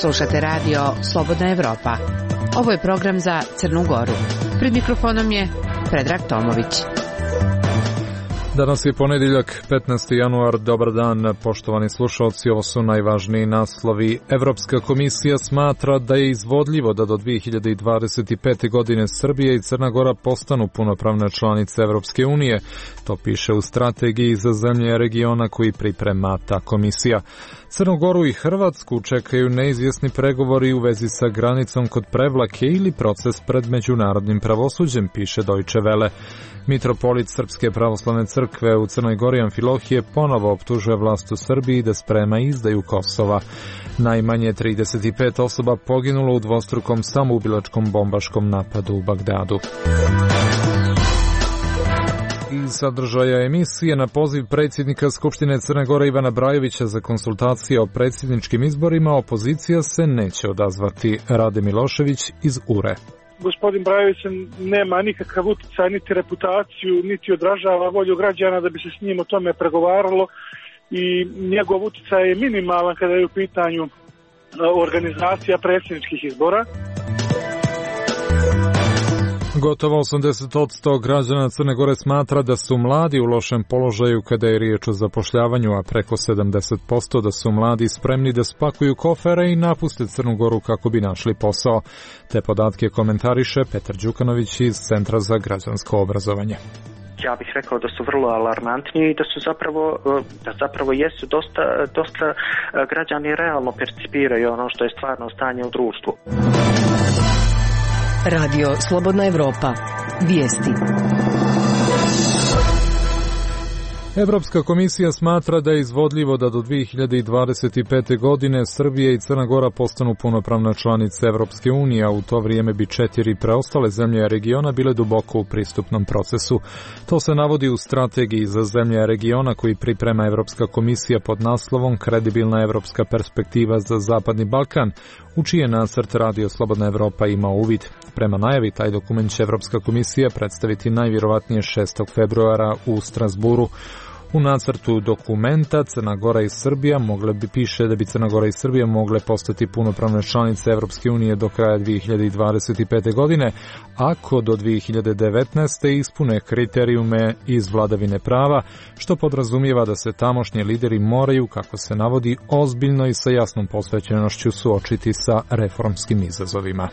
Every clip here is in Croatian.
Slušate radio Slobodna Evropa. Ovo je program za Crnu Goru. Pred mikrofonom je Predrag Tomović. Danas je ponedjeljak, 15. januar. Dobar dan, poštovani slušalci. Ovo su najvažniji naslovi. Evropska komisija smatra da je izvodljivo da do 2025. godine Srbija i Crna Gora postanu punopravne članice Evropske unije. To piše u strategiji za zemlje regiona koji priprema ta komisija. Crnu Goru i Hrvatsku čekaju neizvjesni pregovori u vezi sa granicom kod Prevlake ili proces pred međunarodnim pravosuđem, piše Deutsche Welle. Mitropolit Srpske pravoslavne crkve u Crnoj Gori Amfilohije ponovo optužuje vlast u Srbiji da sprema izdaju Kosova. Najmanje 35 osoba poginulo u dvostrukom samoubilačkom bombaškom napadu u Bagdadu. Iz sadržaja emisije na poziv predsjednika Skupštine Crne Gore Ivana Brajovića za konsultacije o predsjedničkim izborima opozicija se neće odazvati. Rade Milošević iz URE. Gospodin Brajović nema nikakav utjecaj, niti reputaciju, niti odražava volju građana da bi se s njim o tome pregovaralo i njegov utjecaj je minimalan kada je u pitanju organizacija predsjedničkih izbora. Gotovo 80% građana Crne Gore smatra da su mladi u lošem položaju kada je riječ o zapošljavanju, a preko 70% da su mladi spremni da spakuju kofere i napuste Crnu Goru kako bi našli posao. Te podatke komentariše Petar Đukanović iz Centra za građansko obrazovanje. Ja bih rekao da su vrlo alarmantni i da zapravo jesu dosta građani realno percipiraju ono što je stvarno stanje u društvu. Radio Slobodna Evropa. Vijesti. Evropska komisija smatra da je izvodljivo da do 2025. godine Srbija i Crna Gora postanu punopravna članice Evropske unije, a u to vrijeme bi 4 preostale zemlje regiona bile duboko u pristupnom procesu. To se navodi u strategiji za zemlje regiona koji priprema Evropska komisija pod naslovom Kredibilna evropska perspektiva za Zapadni Balkan, u čije nacrt Radio Slobodna Evropa ima uvid. Prema najavi, taj dokument će Evropska komisija predstaviti najvjerovatnije 6. februara u Strasburu. U nacrtu dokumenta Crna Gora i Srbija piše da bi Crna Gora i Srbija mogle postati punopravne članice Evropske unije do kraja 2025. godine, ako do 2019. ispune kriterijume iz vladavine prava, što podrazumijeva da se tamošnji lideri moraju, kako se navodi, ozbiljno i sa jasnom posvećenošću suočiti sa reformskim izazovima.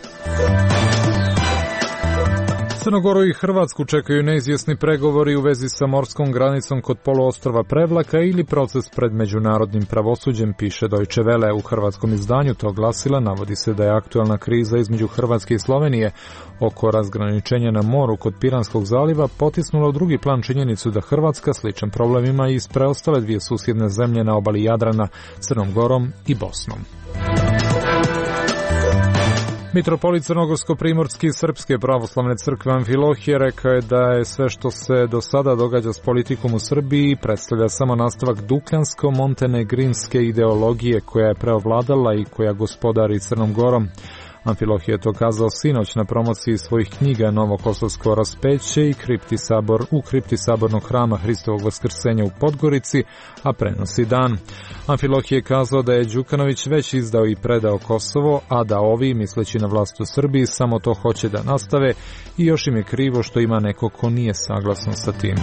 Crnu Goru i Hrvatsku čekaju neizvjesni pregovori u vezi sa morskom granicom kod poluostrva Prevlaka ili proces pred međunarodnim pravosuđem, piše Deutsche Welle. U hrvatskom izdanju tog glasila navodi se da je aktualna kriza između Hrvatske i Slovenije oko razgraničenja na moru kod Piranskog zaliva potisnula u drugi plan činjenicu da Hrvatska sličan problem ima i s preostale dvije susjedne zemlje na obali Jadrana, Crnom Gorom i Bosnom. Mitropolit Crnogorsko-primorski Srpske pravoslavne crkve Amfilohije rekao je da je sve što se do sada događa s politikom u Srbiji predstavlja samo nastavak dukljansko-montenegrinske ideologije koja je preovladala i koja gospodari Crnom Gorom. Amfilohije je to kazao sinoć na promociji svojih knjiga Novo Kosovsko raspeće i u kripti sabornog hrama Hristovog vaskrsenja u Podgorici, a prenosi dan. Amfilohije je kazao da je Đukanović već izdao i predao Kosovo, a da ovi, misleći na vlast u Srbiji, samo to hoće da nastave i još im je krivo što ima neko ko nije saglasan sa tim.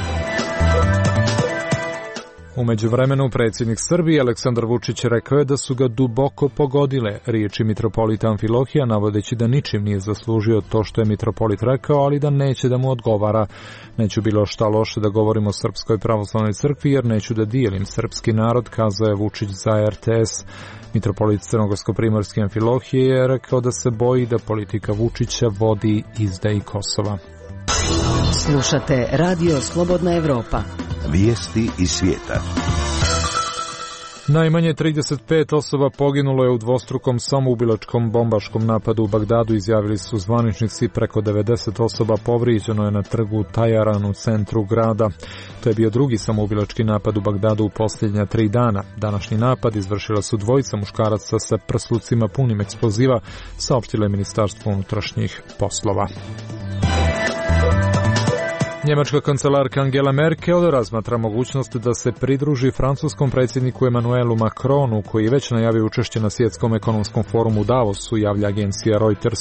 U međuvremenu predsjednik Srbije Aleksandar Vučić rekao je da su ga duboko pogodile riječi mitropolita Amfilohija, navodeći da ničim nije zaslužio to što je mitropolit rekao, ali da neće da mu odgovara. Neću bilo šta loše da govorim o Srpskoj pravoslavnoj crkvi jer neću da dijelim srpski narod, kazao je Vučić za RTS. Mitropolit Crnogorsko-primorski Amfilohije je rekao da se boji da politika Vučića vodi izdaji Kosova. Slušate Radio Slobodna Evropa. Vijesti iz svijeta. Najmanje 35 osoba poginulo je u dvostrukom samoubilačkom bombaškom napadu u Bagdadu, izjavili su zvaničnici. Preko 90 osoba povrijeđeno je na trgu Tajaran u centru grada. To je bio drugi samoubilački napad u Bagdadu u posljednja 3 dana. Današnji napad izvršila su dvojica muškaraca sa prslucima punim eksploziva, saopštilo je Ministarstvo unutrašnjih poslova. Njemačka kancelarka Angela Merkel razmatra mogućnost da se pridruži francuskom predsjedniku Emmanuelu Macronu, koji već najavio učešće na svjetskom ekonomskom forumu u Davosu, javlja agencija Reuters.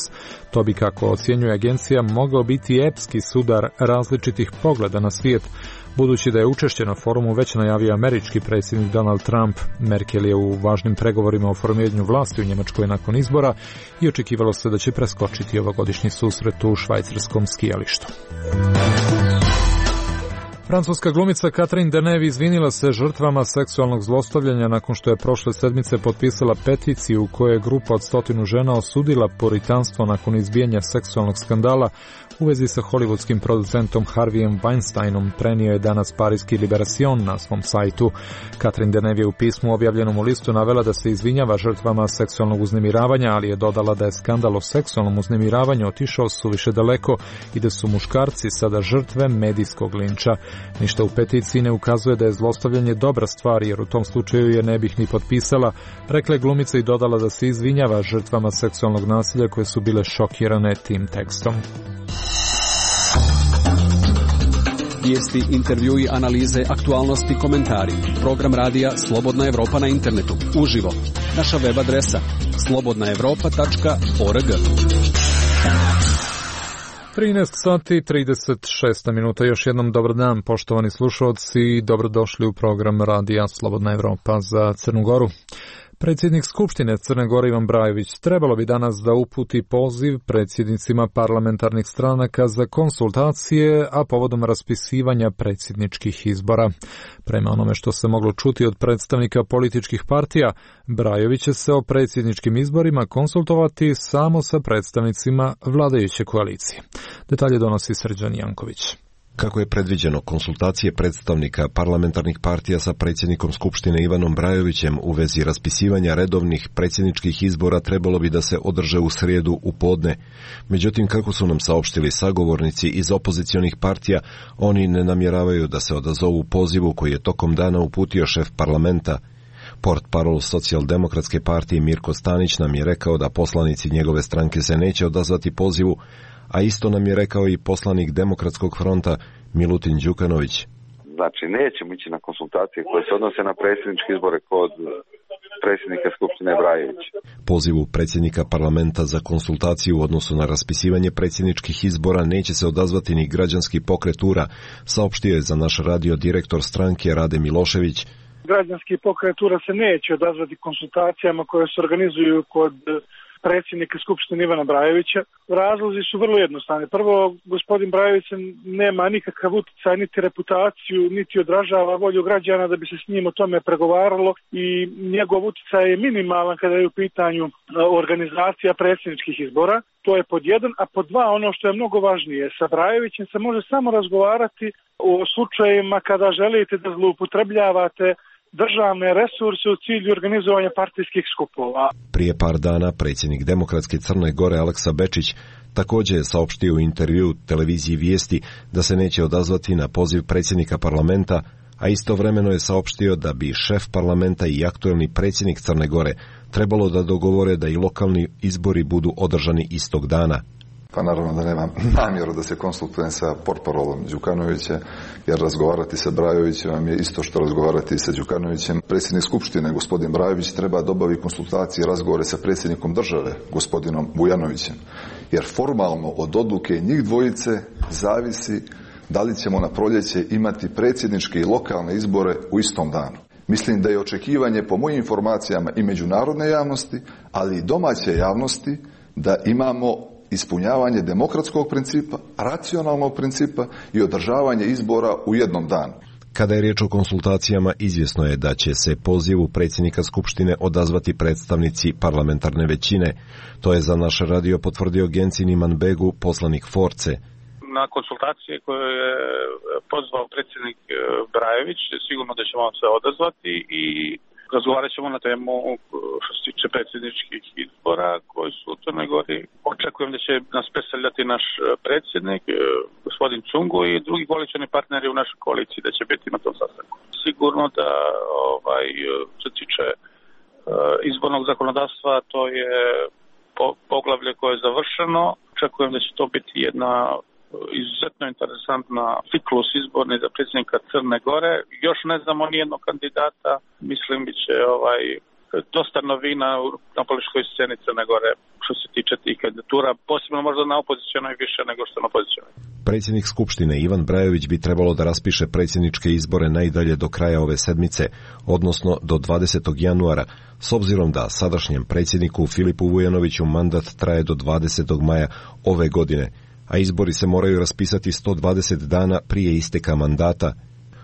To bi, kako ocjenjuje agencija, mogao biti epski sudar različitih pogleda na svijet, budući da je učešće na forumu već najavio američki predsjednik Donald Trump. Merkel je u važnim pregovorima o formiranju vlasti u Njemačkoj nakon izbora i očekivalo se da će preskočiti ovogodišnji susret u švajcarskom skijalištu. Francuska glumica Catherine Deneuve izvinila se žrtvama seksualnog zlostavljanja nakon što je prošle sedmice potpisala peticiju u kojoj je grupa od 100 žena osudila puritanstvo nakon izbijanja seksualnog skandala u vezi sa hollywoodskim producentom Harveyem Weinsteinom, prenio je danas parijski Libération na svom sajtu. Catherine Deneuve je u pismu objavljenom u listu navela da se izvinjava žrtvama seksualnog uznemiravanja, ali je dodala da je skandal o seksualnom uznemiravanju otišao suviše daleko i da su muškarci sada žrtve medijskog linča. Ništa u peticiji ne ukazuje da je zlostavljanje dobra stvar, jer u tom slučaju je ne bih ni potpisala, rekla je glumica i dodala da se izvinjava žrtvama seksualnog nasilja koje su bile šokirane tim tekstom. Vijesti, intervjui, analize, aktualnosti, komentari. Program radija Slobodna Evropa na internetu. Uživo. Naša web adresa slobodnaevropa.org. 13 sati 36 minuta. Još jednom dobar dan, poštovani slušalci, i dobrodošli u program radija Slobodna Evropa za Crnu Goru. Predsjednik Skupštine Crne Gore Ivan Brajović trebalo bi danas da uputi poziv predsjednicima parlamentarnih stranaka za konsultacije, a povodom raspisivanja predsjedničkih izbora. Prema onome što se moglo čuti od predstavnika političkih partija, Brajović će se o predsjedničkim izborima konsultovati samo sa predstavnicima vladajuće koalicije. Detalje donosi Srđan Janković. Kako je predviđeno, konsultacije predstavnika parlamentarnih partija sa predsjednikom Skupštine Ivanom Brajovićem u vezi raspisivanja redovnih predsjedničkih izbora trebalo bi da se održe u srijedu u podne. Međutim, kako su nam saopštili sagovornici iz opozicionih partija, oni ne namjeravaju da se odazovu pozivu koji je tokom dana uputio šef parlamenta. Portparol Socijaldemokratske partije Mirko Stanić nam je rekao da poslanici njegove stranke se neće odazvati pozivu, a isto nam je rekao i poslanik Demokratskog fronta Milutin Đukanović. Znači, nećemo ići na konsultacije koje se odnose na predsjedničke izbore kod predsjednika Skupštine Brajovića. Pozivu predsjednika parlamenta za konsultaciju u odnosu na raspisivanje predsjedničkih izbora neće se odazvati ni građanski pokret URA, saopštio je za naš radio direktor stranke Rade Milošević. Građanski pokret URA se neće odazvati konsultacijama koje se organizuju kod predsjednika Skupštine Ivana Brajovića. Razlozi su vrlo jednostavni. Prvo, gospodin Brajović nema nikakav utjecaj, niti reputaciju, niti odražava volju građana da bi se s njim o tome pregovaralo i njegov utjecaj je minimalan kada je u pitanju organizacija predsjedničkih izbora. To je pod jedan, a pod dva, ono što je mnogo važnije, sa Brajovićem se može samo razgovarati o slučajevima kada želite da zloupotrebljavate državne resurse u cilju organizovanja partijskih skupova. Prije par dana predsjednik Demokratske Crne Gore Aleksa Bečić također je saopštio u intervju televiziji Vijesti da se neće odazvati na poziv predsjednika parlamenta, a istovremeno je saopštio da bi šef parlamenta i aktuelni predsjednik Crne Gore trebalo da dogovore da i lokalni izbori budu održani istog dana. Pa naravno da nemam namjeru da se konsultujem sa portparolom Đukanovića, jer razgovarati sa Brajovićem je isto što razgovarati sa Đukanovićem. Predsjednik Skupštine, gospodin Brajović, treba da obavi konsultacije i razgovore sa predsjednikom države, gospodinom Vujanovićem, jer formalno od odluke njih dvojice zavisi da li ćemo na proljeće imati predsjedničke i lokalne izbore u istom danu. Mislim da je očekivanje, po mojim informacijama, i međunarodne javnosti, ali i domaće javnosti, da imamo ispunjavanje demokratskog principa, racionalnog principa i održavanje izbora u jednom danu. Kada je riječ o konsultacijama, izvjesno je da će se pozivu predsjednika Skupštine odazvati predstavnici parlamentarne većine. To je za naš radio potvrdio Gencin Imanbegu, poslanik Force. Na konsultacije koje je pozvao predsjednik Brajović, sigurno da ćemo se odazvati i razgovarat ćemo na temu što se tiče predsjedničkih izbora koji su u Crnoj Gori. Očekujem da će nas predstavljati naš predsjednik, gospodin Cungo, i drugi koalicioni partneri u našoj koaliciji da će biti na tom sastanku. Sigurno da što se tiče izbornog zakonodavstva, to je poglavlje koje je završeno. Očekujem da će to biti jedna izuzetno interesantna ciklus izborni za predsjednika Crne Gore. Još ne znamo nijednog kandidata. Mislim bit će dosta novina na političkoj sceni Crne Gore što se tiče tih kandidatura, posebno možda na opozicionoj više nego što na pozicionoj. Predsjednik Skupštine Ivan Brajović bi trebalo da raspiše predsjedničke izbore najdalje do kraja ove sedmice, odnosno do 20. januara, s obzirom da sadašnjem predsjedniku Filipu Vujanoviću mandat traje do 20. maja ove godine, a izbori se moraju raspisati 120 dana prije isteka mandata.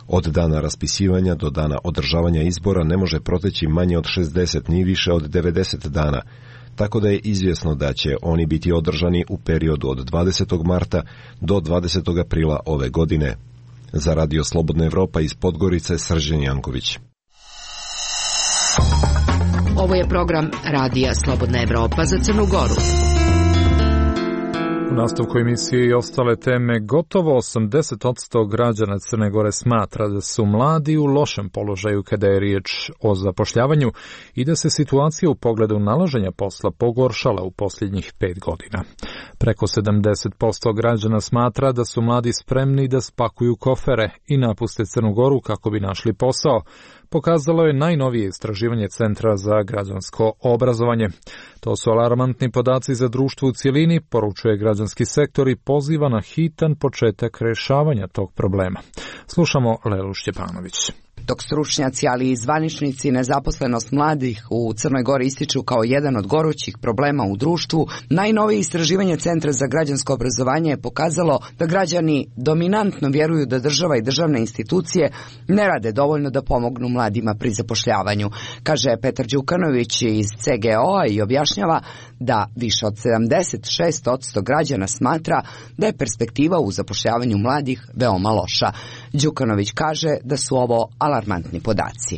Od dana raspisivanja do dana održavanja izbora ne može proteći manje od 60 ni više od 90 dana, tako da je izvjesno da će oni biti održani u periodu od 20. marta do 20. aprila ove godine. Za Radio Slobodna Evropa iz Podgorice, Srđan Janković. Ovo je program Radija Slobodna Evropa za Crnu Goru. U nastavku emisije i ostale teme, gotovo 80% građana Crne Gore smatra da su mladi u lošem položaju kada je riječ o zapošljavanju i da se situacija u pogledu nalaženja posla pogoršala u posljednjih 5 godina. Preko 70% građana smatra da su mladi spremni da spakuju kofere i napuste Crnu Goru kako bi našli posao, pokazalo je najnovije istraživanje Centra za građansko obrazovanje. To su alarmantni podaci za društvo u cjelini, poručuje građanski sektor i poziva na hitan početak rješavanja tog problema. Slušamo Lelu Šćepanović. Dok stručnjaci, ali i zvaničnici, nezaposlenost mladih u Crnoj Gori ističu kao jedan od gorućih problema u društvu, najnovije istraživanje Centra za građansko obrazovanje je pokazalo da građani dominantno vjeruju da država i državne institucije ne rade dovoljno da pomognu mladima pri zapošljavanju. Kaže Petar Đukanović iz CGO-a i objašnjava da više od 76% građana smatra da je perspektiva u zapošljavanju mladih veoma loša. Đukanović kaže da su ovo alarmantni podaci.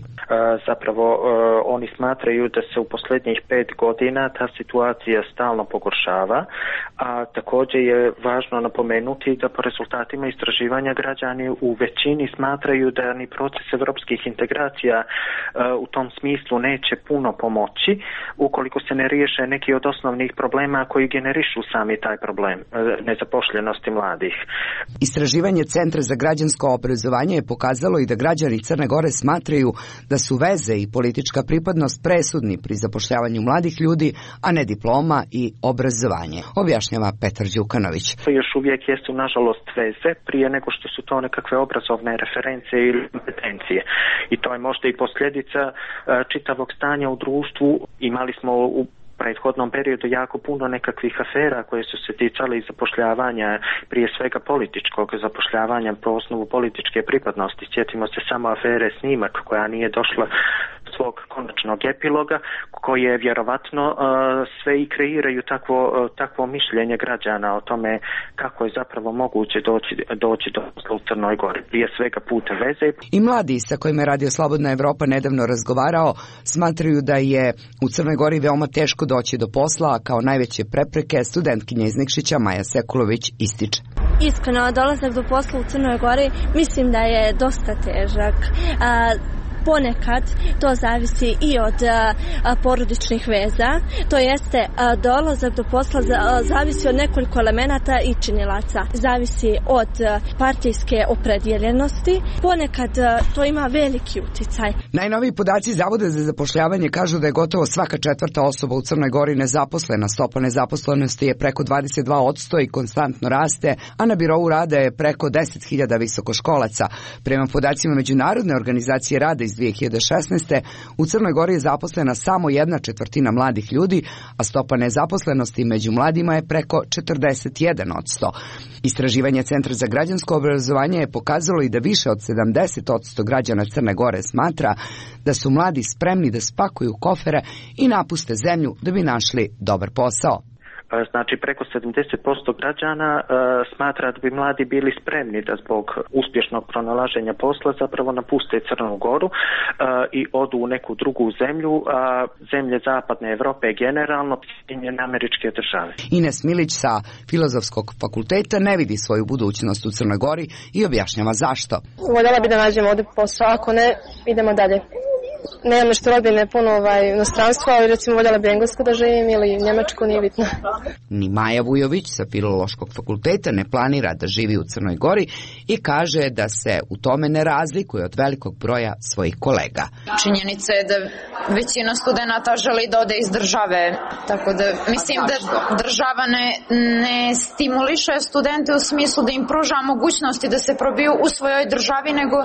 Zapravo oni smatraju da se u posljednjih 5 godina ta situacija stalno pogoršava, a također je važno napomenuti da po rezultatima istraživanja građani u većini smatraju da ni proces evropskih integracija u tom smislu neće puno pomoći ukoliko se ne riješe neki od osnovnih problema koji generišu sami taj problem nezapošljenosti mladih. Istraživanje Centra za građansko obrazovanje je pokazalo i da građani Crne Gore smatraju da su veze i politička pripadnost presudni pri zapošljavanju mladih ljudi, a ne diploma i obrazovanje, objašnjava Petar Đukanović. To još uvijek jesu nažalost veze prije nego što su to nekakve obrazovne reference ili kompetencije. I to je možda i posljedica čitavog stanja u društvu. Imali smo u prethodnom periodu jako puno nekakvih afera koje su se ticale i zapošljavanja, prije svega političkog zapošljavanja po osnovu političke pripadnosti. Sjetimo se samo afere Snimak koja nije došla svog konačnog epiloga, koje vjerovatno sve i kreiraju takvo mišljenje građana o tome kako je zapravo moguće doći do posla u Crnoj Gori. Prije svega putem veze. I mladi sa kojima je Radio Slobodna Evropa nedavno razgovarao smatraju da je u Crnoj Gori veoma teško doći do posla, a kao najveće prepreke studentkinja iz Nikšića Maja Sekulović ističe. Iskreno, dolazak do posla u Crnoj Gori mislim da je dosta težak. Ponekad to zavisi i od porodičnih veza, to jeste dolazak do posla zavisi od nekoliko elemenata i činilaca. Zavisi od partijske opredjeljenosti, ponekad to ima veliki uticaj. Najnoviji podaci Zavoda za zapošljavanje kažu da je gotovo svaka 4. osoba u Crnoj Gori nezaposlena. Stopa nezaposlenosti je preko 22% i konstantno raste, a na birou rada je preko 10.000 visokoškolaca. Prema podacima Međunarodne organizacije rada iz 2016. u Crnoj Gori je zaposlena samo 1/4 mladih ljudi, a stopa nezaposlenosti među mladima je preko 41%. Istraživanje Centra za građansko obrazovanje je pokazalo i da više od 70% građana Crne Gore smatra da su mladi spremni da spakuju kofere i napuste zemlju da bi našli dobar posao. Znači preko 70% građana smatra da bi mladi bili spremni da zbog uspješnog pronalaženja posla zapravo napuste Crnu Goru i odu u neku drugu zemlju, zemlje zapadne Europe generalno, Sjedinjene Američke Države. Ines Milić sa Filozofskog fakulteta ne vidi svoju budućnost u Crnoj Gori i objašnjava zašto. Voljela bi da nađemo ovdje posao, ako ne, idemo dalje. Nemam nešto rodbine puno inostranstva, ali recimo voljela bi Englesku da živim ili Njemačku, nije bitno. Ni Maja Vujović sa Filološkog fakulteta ne planira da živi u Crnoj Gori i kaže da se u tome ne razlikuje od velikog broja svojih kolega. Činjenica je da većina studenata želi da ode iz države, tako da mislim da država ne stimuliše studente u smislu da im pruža mogućnosti da se probiju u svojoj državi, nego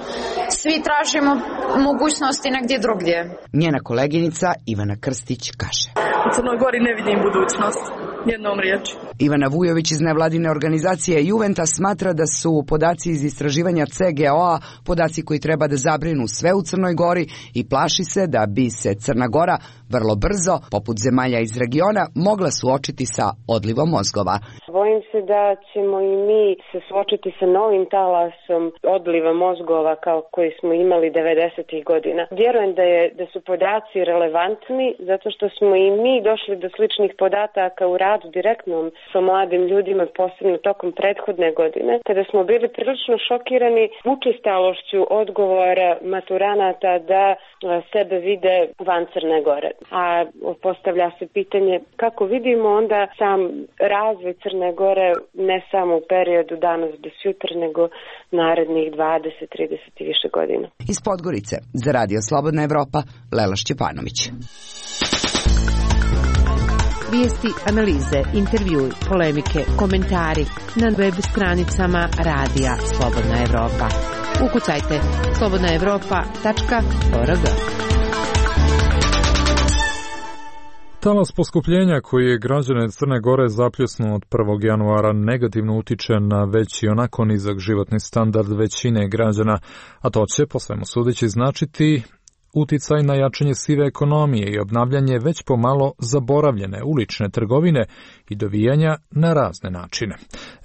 svi tražimo mogućnosti negdje drugdje. Njena koleginica Ivana Krstić kaže: U Crnoj Gori ne vidim budućnost, jednom riječi. Ivana Vujović iz nevladine organizacije Juventa smatra da su podaci iz istraživanja CGO-a podaci koji treba da zabrinu sve u Crnoj Gori i plaši se da bi se Crna Gora vrlo brzo, poput zemalja iz regiona, mogla suočiti sa odlivom mozgova. Bojim se da ćemo i mi se suočiti sa novim talasom odliva mozgova kao koji smo imali 90-ih godina. Vjerujem da su podaci relevantni zato što smo i mi došli do sličnih podataka u radu direktnom sa mladim ljudima, posebno tokom prethodne godine, kada smo bili prilično šokirani učestalošću odgovora maturanata da sebe vide van Crne Gore. A postavlja se pitanje kako vidimo onda sam razvoj Crne Gore ne samo u periodu danas do sutra, nego narednih 20, 30 i više godina. Iz Podgorice za Radio Slobodna Evropa, Lela Šćepanović. Vijesti, analize, intervjui, polemike, komentari na web stranicama Radija Slobodna Evropa. Ukucajte slobodnaevropa.org. Talas poskupljenja koji je građane Crne Gore zapljusnuo od 1. januara negativno utiče na već i onako nizak životni standard većine građana, a to će, po svemu sudeći, značiti uticaj na jačanje sive ekonomije i obnavljanje već pomalo zaboravljene ulične trgovine i dovijanja na razne načine.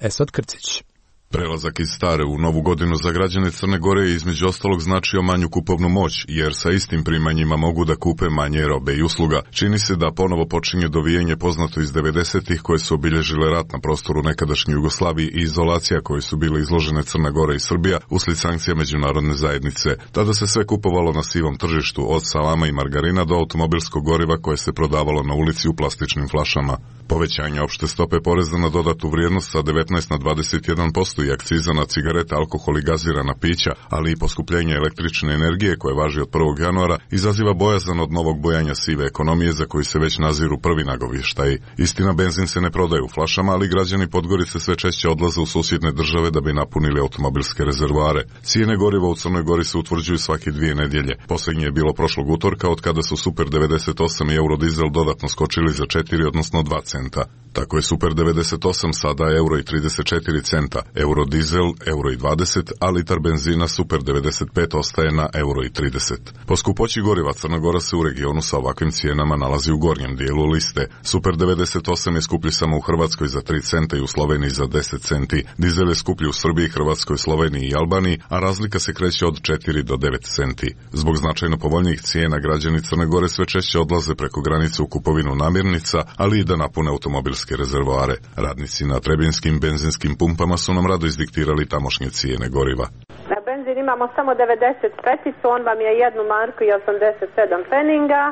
Esad Krcić. Prelazak iz stare u novu godinu za građane Crne Gore je između ostalog značio manju kupovnu moć, jer sa istim primanjima mogu da kupe manje robe i usluga. Čini se da ponovo počinje dovijanje poznato iz 90-ih koje su obilježile rat na prostoru nekadašnje Jugoslavije i izolacija koje su bile izložene Crna Gora i Srbija usled sankcija međunarodne zajednice. Tada se sve kupovalo na sivom tržištu, od salama i margarina do automobilskog goriva koje se prodavalo na ulici u plastičnim flašama. Povećanje opšte stope poreza na dodatu vrijednost sa 19 na 21% i akciza na cigarete, alkohol i gazirana pića, ali i poskupljenje električne energije koje važi od 1. januara, izaziva bojazan od novog bojanja sive ekonomije za koju se već naziru prvi nagovještaji. Istina, benzin se ne prodaje u flašama, ali građani Podgorice sve češće odlaze u susjedne države da bi napunili automobilske rezervoare. Cijene goriva u Crnoj Gori se utvrđuju svake 2 nedjelje. Posljednje je bilo prošlog utorka, od kada su Super 98 i Eurodizel dodatno skočili za 4, odnosno 2 centa. Tako je Super 98 sada euro i 34 centa, Eurodizel euro i 20, a litar benzina Super 95 ostaje na euro i 30. Po skupoći goriva Crna Gora se u regionu sa ovakvim cijenama nalazi u gornjem dijelu liste. Super 98 je skuplji samo u Hrvatskoj za 3 centa i u Sloveniji za 10 centi. Dizel je skuplji u Srbiji, Hrvatskoj, Sloveniji i Albaniji, a razlika se kreće od 4 do 9 centi. Zbog značajno povoljnijih cijena građani Crne Gore sve češće odlaze preko granice u kupovinu namirnica, ali i da napune automobilske rezervoare. Radnici na trebinskim benzinskim pumpama su nam rado izdiktirali tamošnje cijene goriva. Na benzin imamo samo 90 peticu, on vam je 1 marku i 87 peninga,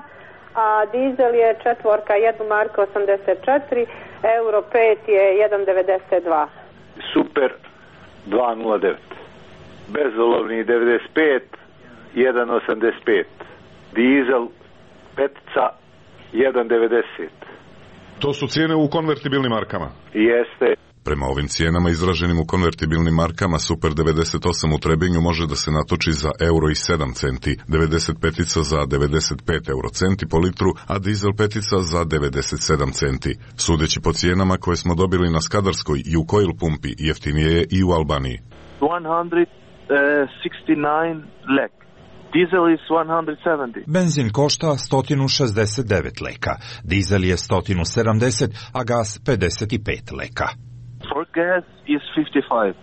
a dizel je 4, 1 marku 84, euro 5 je 1,92. Super 2,09. Bezolovni 95, 1,85. Dizel petica 1,90. To su cijene u konvertibilnim markama? Jeste. Prema ovim cijenama izraženim u konvertibilnim markama, Super 98 u Trebinju može da se natoči za euro i 7 centi, 95 za 95 euro centi po litru, a dizel petica za 97 centi. Sudeći po cijenama koje smo dobili na Skadarskoj i u Coil pumpi, jeftinije je i u Albaniji. 169 lek. Dizel is 170. Benzin košta 169 leka, dizel je 170, a gas 55 leka. For gas is 55.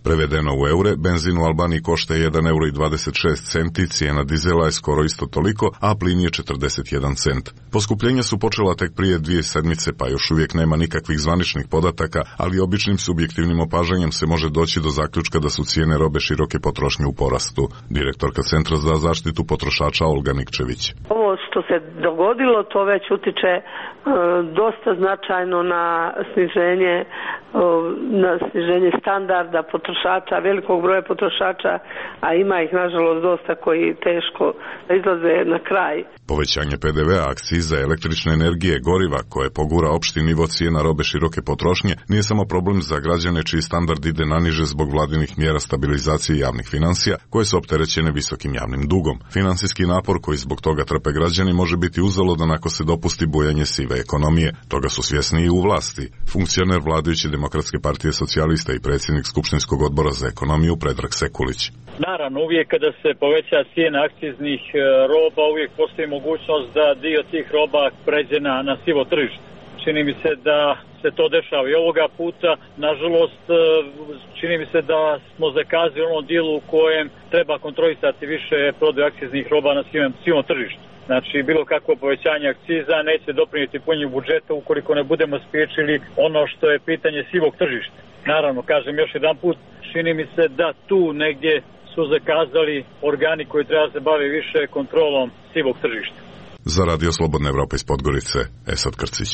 Prevedeno u eure, benzin u Albaniji košta 1,26 €, cijena dizela je skoro isto toliko, a plin je 41 cent. Poskupljenja su počela tek prije 2 sedmice, pa još uvijek nema nikakvih zvaničnih podataka, ali običnim subjektivnim opažanjem se može doći do zaključka da su cijene robe široke potrošnje u porastu. Direktorka Centra za zaštitu potrošača Olga Nikčević. Ovo što se dogodilo, to već utiče dosta značajno na sniženje standarda potrošača, velikog broja potrošača, a ima ih nažalost dosta koji teško izlaze na kraj. Povećanje PDV-a, akciza, električne energije, goriva koje pogura opšti nivo cijena robe široke potrošnje nije samo problem za građane čiji standard ide naniže zbog vladinih mjera stabilizacije javnih financija koje su opterećene visokim javnim dugom. Financijski napor koji zbog toga trpe građani može biti uzaludan ako se dopusti bujanje sive ekonomije. Toga su svjesni i u vlasti. Funkcioner vladajuće Demokratske partije socijalista i predsjednik Skupštinskog odbora za ekonomiju Predrag Sekulić. Naravno, uvijek kada se poveća cijena akciznih roba, uvijek postoji mogućnost da dio tih roba pređe na sivo tržište. Čini mi se da se to dešava i ovoga puta. Nažalost, čini mi se da smo zakazali u onom dijelu u kojem treba kontrolisati više prodaju akciznih roba na sivom tržištu. Znači, bilo kakvo povećanje akciza neće doprinijeti punjenju budžeta ukoliko ne budemo spriječili ono što je pitanje sivog tržišta. Naravno, kažem još jedan put, čini mi se da tu negdje su zakazali organi koji treba se bave više kontrolom sivog tržišta. Za Radio Slobodna Evropa iz Podgorice, Esad Krcić.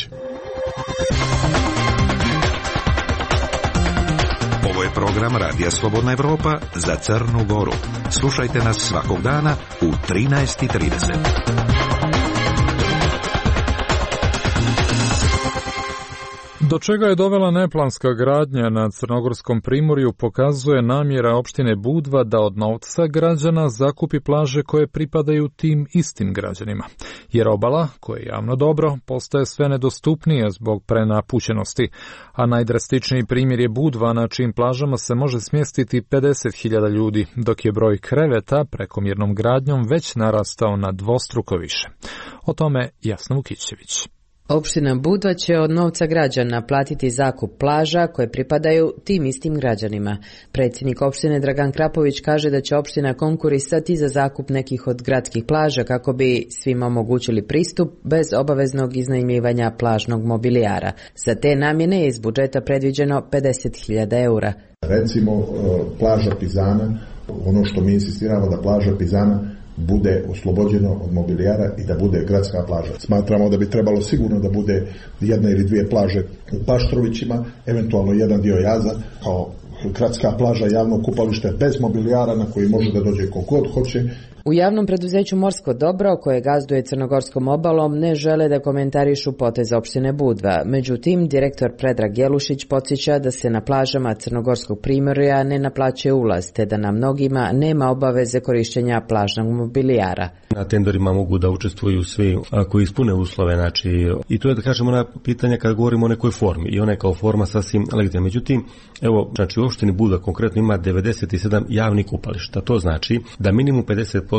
Ovo je program Radija Slobodna Evropa za Crnu Goru. Slušajte nas svakog dana u 13:30. Do čega je dovela neplanska gradnja na Crnogorskom primorju pokazuje namjera opštine Budva da od novca građana zakupi plaže koje pripadaju tim istim građanima. Jer obala, koje je javno dobro, postaje sve nedostupnije zbog prenapućenosti, a najdrastičniji primjer je Budva na čijim plažama se može smjestiti 50.000 ljudi, dok je broj kreveta prekomjernom gradnjom već narastao na dvostruko više. O tome Jasna Vukićević. Opština Budva će od novca građana platiti zakup plaža koje pripadaju tim istim građanima. Predsjednik opštine Dragan Krapović kaže da će opština konkurisati za zakup nekih od gradskih plaža kako bi svima omogućili pristup bez obaveznog iznajmljivanja plažnog mobilijara. Za te namjene je iz budžeta predviđeno 50.000 eura. Recimo plaža Pizana, ono što mi insistiramo da plaža Pizana bude oslobođeno od mobilijara i da bude gradska plaža. Smatramo da bi trebalo sigurno da bude jedna ili dvije plaže u Paštrovićima, eventualno jedan dio Jaza kao gradska plaža, javno kupalište bez mobilijara na koji može da dođe kogod hoće. U javnom preduzeću Morsko dobro, koje gazduje Crnogorskom obalom, ne žele da komentarišu potez opštine Budva. Međutim, direktor Predrag Jelušić podsjeća da se na plažama Crnogorskog primorja ne naplaćuje ulaz, te da na mnogima nema obaveze korištenja plažnog mobilijara. Na tenderima mogu da učestvuju svi koji ispune uslove, znači, i to je da kažemo na pitanja kada govorimo o nekoj formi i ona je kao forma sasvim legitimna. Međutim, evo, znači u opštini Budva konkretno ima 97 javnih kupališta. To znači da minimum 50%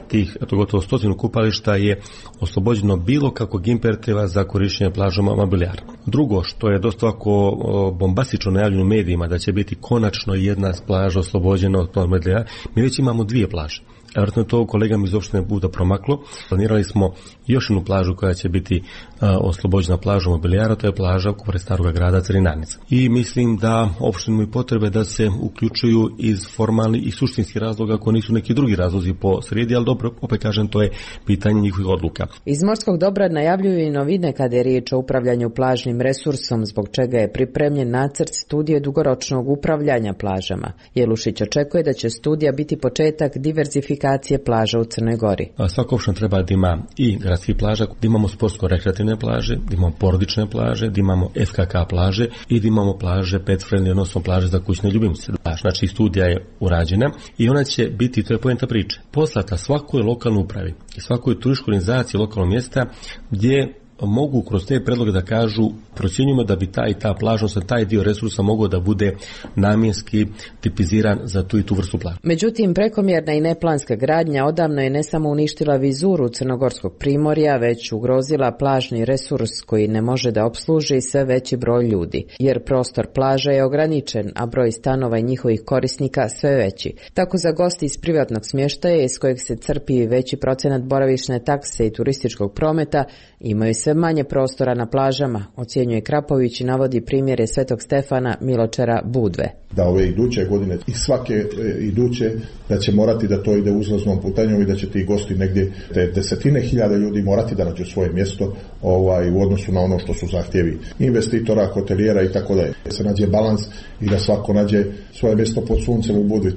tih, to gotovo 100 kupališta je oslobođeno bilo kakvog imperativa za korištenje plažama mobilijara. Drugo, što je dosta ovako bombastično najavljeno u medijima da će biti konačno jedna plaža oslobođena od mobilijara, mi već imamo dvije plaže. Vjerojatno je to kolegama iz opštine Budva promaklo. Planirali smo još jednu plažu koja će biti oslobođena plažom mobilijara, to je plaža pored Starog grada Crinanica. I mislim da opštine imaju potrebe da se uključuju iz formalnih i suštinskih razloga ako nisu neki drugi razlozi po sredi, ali dobro, opet kažem, to je pitanje njihovih odluka. Iz Morskog dobra najavljuju i novine kada je riječ o upravljanju plažnim resursom, zbog čega je pripremljen nacrt studije dugoročnog upravljanja plažama. Jelušić očekuje da će studija biti početak diverzifikacije plaža u Crnoj Gori. Svaka opština treba da ima i gradskih plaža, da imamo sportsko-rekreativne plaže, da imamo porodične plaže, da imamo FKK plaže i da imamo plaže pet friendly, odnosno plaže za kućne ljubimce. Znači studija je urađena i ona će biti, to je poenta priče, poslata svakoj lokalnoj upravi i svakoj turističkoj organizaciji lokalnog mjesta gdje mogu kroz te predloge da kažu procjenjujemo da bi ta plaža, taj dio resursa mogao da bude namjenski tipiziran za tu i tu vrstu plaže. Međutim, prekomjerna i neplanska gradnja odavno je ne samo uništila vizuru Crnogorskog primorja, već ugrozila plažni resurs koji ne može da opsluži sve veći broj ljudi, jer prostor plaža je ograničen, a broj stanova i njihovih korisnika sve veći. Tako za gosti iz privatnog smještaja iz kojeg se crpi veći procenat boravišne takse i turističkog prometa imaju sve manje prostora na plažama, ocjenjuje Krapović i navodi primjere Svetog Stefana, Miločara, Budve. Da ove iduće godine i svake iduće da će morati da to ide uzlaznom putanjom i da će ti gosti negdje te desetine hiljada ljudi morati da nađu svoje mjesto u odnosu na ono što su zahtjevi investitora, hotelijera i tako dalje. Da se nađe balans i da svako nađe svoje mjesto pod suncem u Budvi.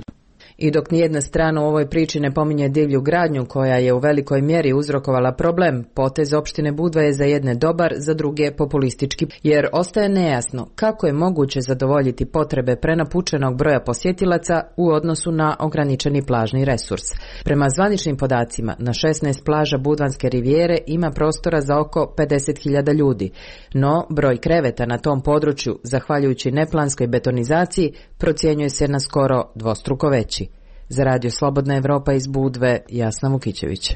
I dok nijedna strana u ovoj priči ne pominje divlju gradnju koja je u velikoj mjeri uzrokovala problem, potez opštine Budva je za jedne dobar, za druge populistički, jer ostaje nejasno kako je moguće zadovoljiti potrebe prenapučenog broja posjetilaca u odnosu na ograničeni plažni resurs. Prema zvaničnim podacima, na 16 plaža Budvanske rivijere ima prostora za oko 50.000 ljudi, no broj kreveta na tom području, zahvaljujući neplanskoj betonizaciji, procjenjuje se na skoro dvostruko veći. Za Radio Slobodna Evropa iz Budve, Jasna Vukićević.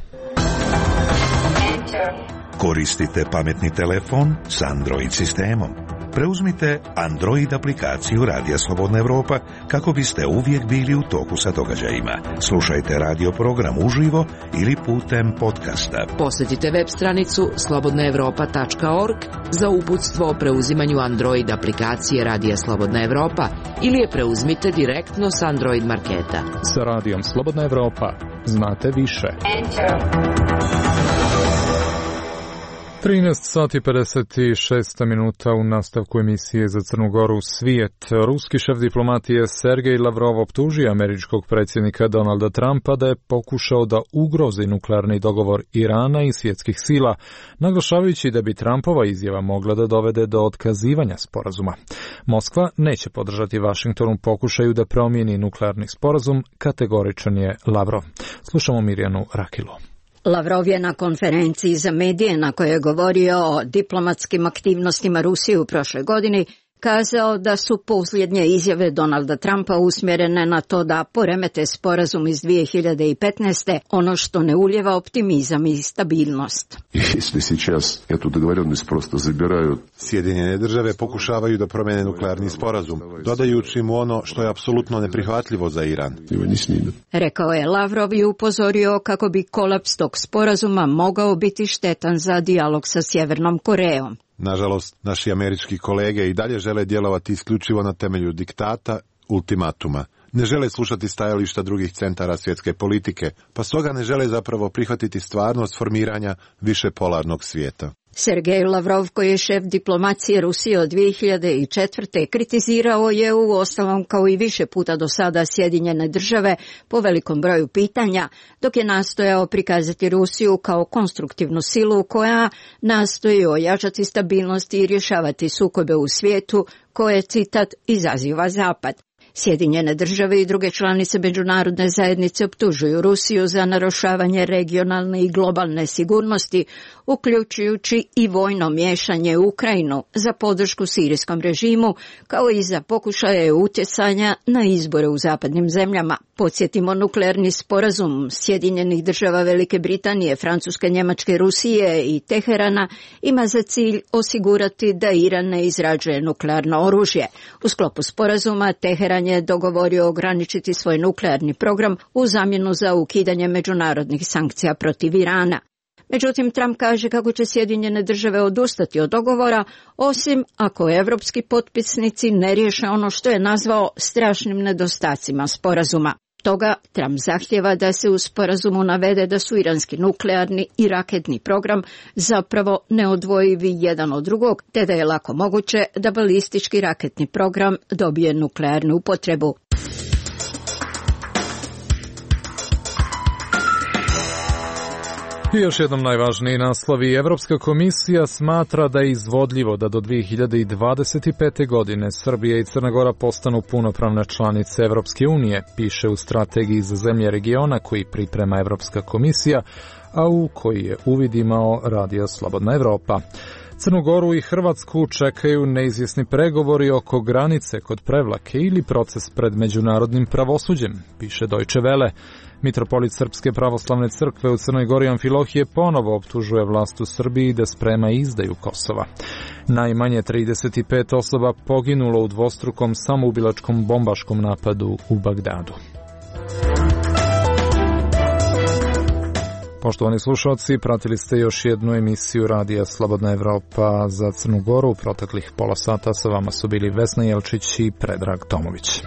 Koristite pametni telefon s Android sistemom. Preuzmite Android aplikaciju Radija Slobodna Evropa kako biste uvijek bili u toku sa događajima. Slušajte radio program uživo ili putem podcasta. Posjetite web stranicu slobodnaevropa.org za uputstvo o preuzimanju Android aplikacije Radija Slobodna Evropa ili je preuzmite direktno s Android marketa. Sa Radijom Slobodna Evropa znate više. 13 sati 56 minuta u nastavku emisije za Crnu Goru Svijet. Ruski šef diplomatije Sergej Lavrov optužio američkog predsjednika Donalda Trumpa da je pokušao da ugrozi nuklearni dogovor Irana i svjetskih sila, naglašavajući da bi Trumpova izjava mogla da dovede do otkazivanja sporazuma. Moskva neće podržati Vašingtonu pokušaju da promijeni nuklearni sporazum, kategoričan je Lavrov. Slušamo Mirjanu Rakilu. Lavrov je na konferenciji za medije na kojoj je govorio o diplomatskim aktivnostima Rusije u prošloj godini kazao da su posljednje izjave Donalda Trumpa usmjerene na to da poremete sporazum iz 2015. ono što ne ulijeva optimizam i stabilnost. Sjedinjene države pokušavaju da promijene nuklearni sporazum, dodajući mu ono što je apsolutno neprihvatljivo za Iran. Rekao je Lavrov i upozorio kako bi kolaps tog sporazuma mogao biti štetan za dijalog sa Sjevernom Korejom. Nažalost, naši američki kolege i dalje žele djelovati isključivo na temelju diktata, ultimatuma. Ne žele slušati stajališta drugih centara svjetske politike, pa stoga ne žele zapravo prihvatiti stvarnost formiranja višepolarnog svijeta. Sergej Lavrov, koji je šef diplomacije Rusije od 2004. kritizirao je u ostalom kao i više puta do sada Sjedinjene države po velikom broju pitanja, dok je nastojao prikazati Rusiju kao konstruktivnu silu koja nastoji ojačati stabilnost i rješavati sukobe u svijetu koje, citat, izaziva Zapad. Sjedinjene države i druge članice međunarodne zajednice optužuju Rusiju za narušavanje regionalne i globalne sigurnosti, uključujući i vojno miješanje u Ukrajinu za podršku sirijskom režimu, kao i za pokušaje utjecanja na izbore u zapadnim zemljama. Podsjetimo, nuklearni sporazum Sjedinjenih država Velike Britanije, Francuske, Njemačke, Rusije i Teherana ima za cilj osigurati da Iran ne izrađuje nuklearno oružje. U sklopu sporazuma Teheran je dogovorio ograničiti svoj nuklearni program u zamjenu za ukidanje međunarodnih sankcija protiv Irana. Međutim, Trump kaže kako će Sjedinjene države odustati od dogovora, osim ako evropski potpisnici ne riješe ono što je nazvao strašnim nedostacima sporazuma. Toga Trump zahtjeva da se u sporazumu navede da su iranski nuklearni i raketni program zapravo neodvojivi jedan od drugog, te da je lako moguće da balistički raketni program dobije nuklearnu upotrebu. I još jednom najvažniji naslovi. Evropska komisija smatra da je izvodljivo da do 2025. godine Srbija i Crna Gora postanu punopravne članice Evropske unije, piše u strategiji za zemlje regiona koji priprema Evropska komisija, a u koji je uvid imao Radio Slobodna Evropa. Crnu Goru i Hrvatsku čekaju neizvjesni pregovori oko granice kod Prevlake ili proces pred međunarodnim pravosuđem, piše Deutsche Welle. Mitropolit Srpske pravoslavne crkve u Crnoj Gori Amfilohije ponovo optužuje vlast u Srbiji da sprema izdaju Kosova. Najmanje 35 osoba poginulo u dvostrukom samoubilačkom bombaškom napadu u Bagdadu. Poštovani slušalci, pratili ste još jednu emisiju Radija Slobodna Evropa za Crnu Goru. U proteklih pola sata sa vama su bili Vesna Jelčić i Predrag Tomović.